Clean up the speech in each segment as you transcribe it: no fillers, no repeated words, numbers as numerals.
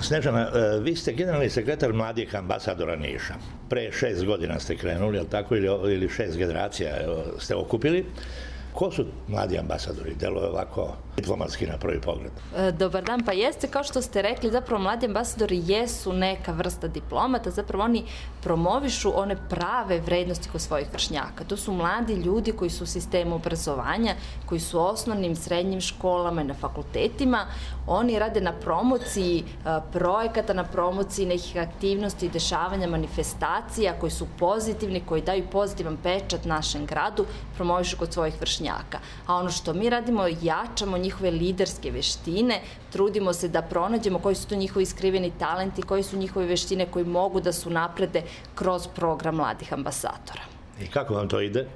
Snežana, vi ste generalni sekretar mladih ambasadora Niša. Pre 6 godina ste krenuli, ali tako, ili 6 generacija ste okupili. Ko su mladi ambasadori? Deluje ovako diplomatski na prvi pogled. Dobar dan, pa jeste, kao što ste rekli, zapravo mladi ambasadori jesu neka vrsta diplomata, zapravo oni promovišu one prave vrednosti kod svojih vršnjaka. To su mladi ljudi koji su u sistemu obrazovanja, koji su u osnovnim, srednjim školama i na fakultetima. Oni rade na promociji projekata, na promociji nekih aktivnosti, dešavanja, manifestacija koji su pozitivni, koji daju pozitivan pečat našem gradu, promovišu kod svojih vršnjaka. A ono što mi radimo, jačamo njihove liderske veštine, trudimo se da pronađemo koji su to njihovi skriveni talenti, koji su njihove veštine koji mogu da su naprede kroz program mladih ambasadora. I kako vam to ide?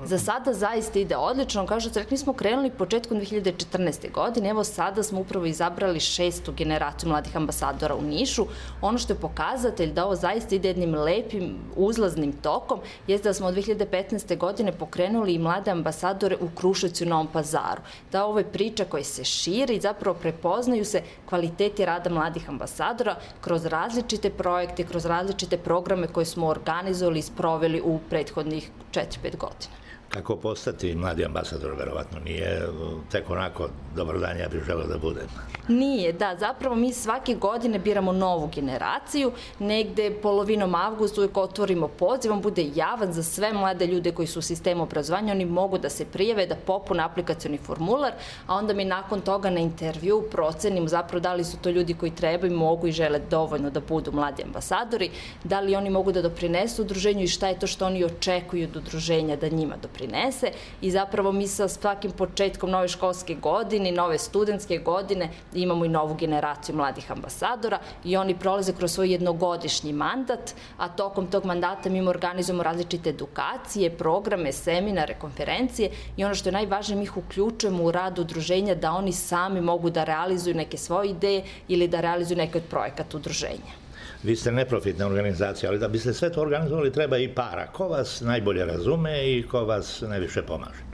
Za sada zaista ide odlično. Kao što ste rekli, mi smo krenuli početkom 2014. godine. Evo sada smo upravo izabrali 6. generaciju mladih ambasadora u Nišu. Ono što je pokazatelj da ovo zaista ide jednim lepim uzlaznim tokom jeste da smo od 2015. godine pokrenuli i mlade ambasadore u Kruševcu i Novom Pazaru. Da ovo je priča koja se širi i zapravo prepoznaju se kvaliteti rada mladih ambasadora kroz različite projekte, kroz različite programe koje smo organizovali i sproveli u prethodnih 4-5 godina. Kako postati mladi ambasador, verovatno nije tek onako, dobar dan, ja bih želeo da budem. Nije, da, zapravo mi svake godine biramo novu generaciju, negde polovinom avgusta uvijek otvorimo poziv, on bude javan za sve mlade ljude koji su u sistemu obrazovanja, oni mogu da se prijave, da popune aplikacioni formular, a onda mi nakon toga na intervju procenimo zapravo da li su to ljudi koji trebaju, mogu i žele dovoljno da budu mladi ambasadori, da li oni mogu da doprinesu udruženju i šta je to što oni očekuju od udruženja da njima doprinese i zapravo mi sa svakim početkom nove školske godine, nove studentske godine imamo i novu generaciju mladih ambasadora i oni prolaze kroz svoj jednogodišnji mandat, a tokom tog mandata mi organizujemo različite edukacije, programe, seminare, konferencije i ono što je najvažnije, mi ih uključujemo u rad udruženja da oni sami mogu da realizuju neke svoje ideje ili da realizuju neke od projekata udruženja. Vi ste neprofitna organizacija, ali da biste sve to organizovali treba i para. Ko vas najbolje razume i ko vas najviše pomaže?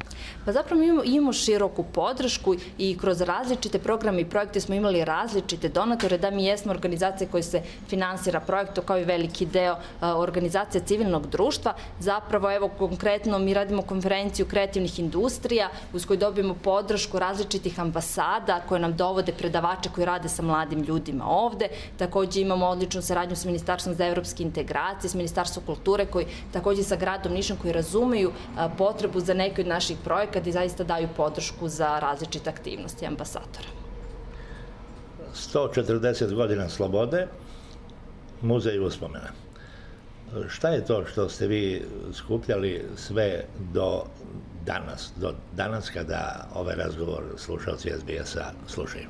Pa zapravo mi imamo široku podršku i kroz različite programe i projekte smo imali različite donatore, da mi jesmo organizacija koja se finansira projektom kao i veliki deo organizacija civilnog društva. Zapravo, evo konkretno, mi radimo konferenciju kreativnih industrija uz koju dobijemo podršku različitih ambasada koje nam dovode predavače koji rade sa mladim ljudima ovde. Takođe imamo odličnu saradnju sa Ministarstvom za evropske integracije, s Ministarstvom kulture, koji takođe sa gradom Nišom koji razumeju potrebu za neke od naših projekata i zaista daju podršku za različite aktivnosti ambasadora. 140 godina slobode, muzej uspomena. Šta je to što ste vi skupljali sve do danas kada ovaj razgovor slušalci SBS-a slušaju?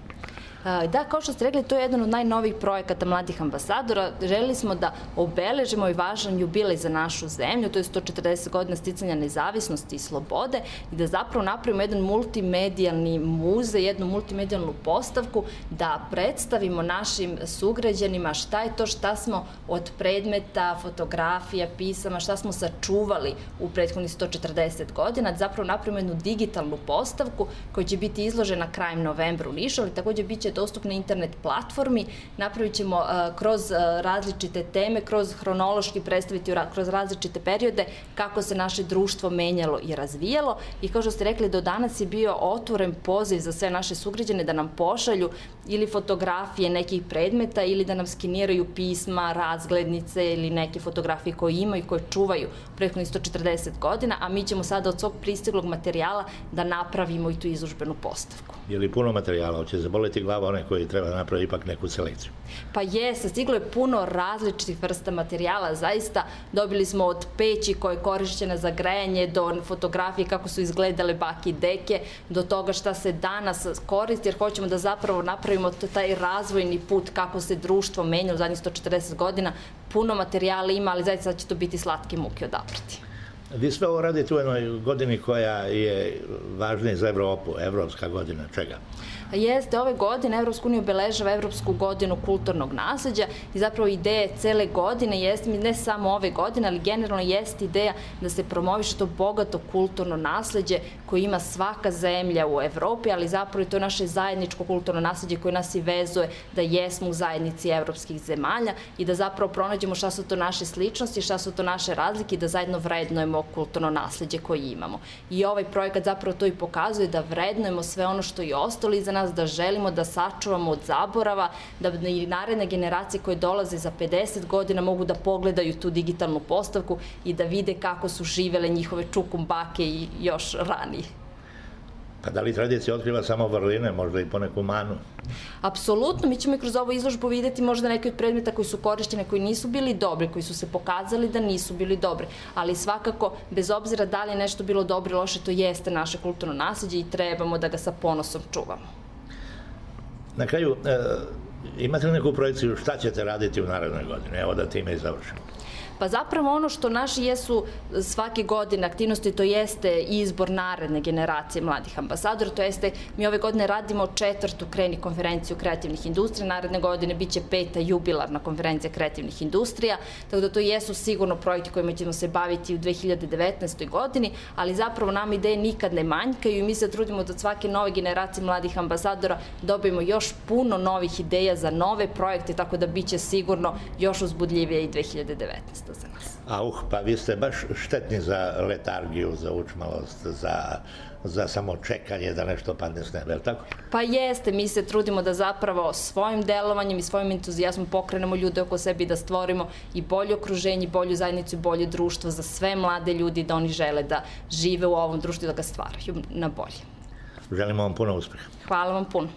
Da, kao što ste rekli, to je jedan od najnovijih projekata mladih ambasadora. Želeli smo da obeležimo i važan jubilej za našu zemlju, to je 140 godina sticanja nezavisnosti i slobode i da zapravo napravimo jedan multimedijalni muzej, jednu multimedijalnu postavku, da predstavimo našim sugrađanima šta je to šta smo od predmeta, fotografija, pisama, šta smo sačuvali u prethodnih 140 godina, da zapravo napravimo jednu digitalnu postavku koja će biti izložena krajem novembra u Nišu, ali takođe bit će dostupna internet platformi, napravit ćemo kroz različite teme, kroz hronološki predstaviti kroz različite periode kako se naše društvo menjalo i razvijalo i kao što ste rekli, do danas je bio otvoren poziv za sve naše sugrađane da nam pošalju ili fotografije nekih predmeta ili da nam skeniraju pisma, razglednice ili neke fotografije koje imaju i koje čuvaju prethodnih 140 godina, a mi ćemo sada od svog pristiglog materijala da napravimo i tu izložbenu postavku. Je li puno materijala? Hoće zaboleti glava one koji treba napraviti ipak neku selekciju? Pa jeste, stiglo je puno različitih vrsta materijala, zaista dobili smo od peći koja je korišćena za grejanje do fotografije kako su izgledale bake i deke, do toga šta se danas koristi, jer hoćemo da zapravo napravimo taj razvojni put kako se društvo menja u zadnjih 140 godina. Puno materijala ima, ali zaista će to biti slatke muke odabrati. Vi sve ovo radite u jednoj godini koja je važnija za Evropu, evropska godina, čega? Jeste, ove godine Evropska unija obeležava Evropsku godinu kulturnog nasleđa i zapravo ideja cele godine jeste, ne samo ove godine, ali generalno jeste ideja da se promoviše to bogato kulturno nasleđe koje ima svaka zemlja u Evropi, ali zapravo i to naše zajedničko kulturno nasleđe koje nas i vezuje da jesmo u zajednici evropskih zemalja i da zapravo pronađemo šta su to naše sličnosti, šta su to naše razlike i da zajedno vrednujemo kulturno nasleđe koje imamo. I ovaj projekat zapravo to i pokazuje da vrednujemo sve ono što je ostalo iza nas, da želimo da sačuvamo od zaborava, da i naredne generacije koje dolaze za 50 godina mogu da pogledaju tu digitalnu postavku i da vide kako su živele njihove čukumbake i još ranije. Pa da li tradicija otkriva samo vrline, možda i poneku manu? Apsolutno, mi ćemo i kroz ovu izložbu videti možda neke od predmeta koji su korišćene, koji nisu bili dobri, koji su se pokazali da nisu bili dobri, ali svakako, bez obzira da li je nešto bilo dobro ili loše, to jeste naše kulturno nasleđe i trebamo da ga sa ponosom čuvamo. Na kraju, imate li neku projekciju šta ćete raditi u narednoj godini? Evo da time i završimo. Pa zapravo ono što naši jesu svake godine aktivnosti, to jeste izbor naredne generacije mladih ambasadora, to jeste mi ove godine radimo 4. Kreni konferenciju kreativnih industrija, naredne godine biće 5. jubilarna konferencija kreativnih industrija, tako da to jesu sigurno projekti kojima ćemo se baviti u 2019. godini, ali zapravo nam ideje nikad ne manjkaju i mi se trudimo da od svake nove generacije mladih ambasadora dobijemo još puno novih ideja za nove projekte, tako da biće sigurno još uzbudljivije i 2019. za nas. Pa vi ste baš štetni za letargiju, za učmalost, za samo čekanje da nešto padne s neba, je li tako? Pa jeste, mi se trudimo da zapravo svojim delovanjem i svojim entuzijazmom pokrenemo ljude oko sebe i da stvorimo i bolje okruženje, bolju zajednicu i bolje društvo za sve mlade ljudi, da oni žele da žive u ovom društvu i da ga stvaraju na bolje. Želimo vam puno uspeha. Hvala vam puno.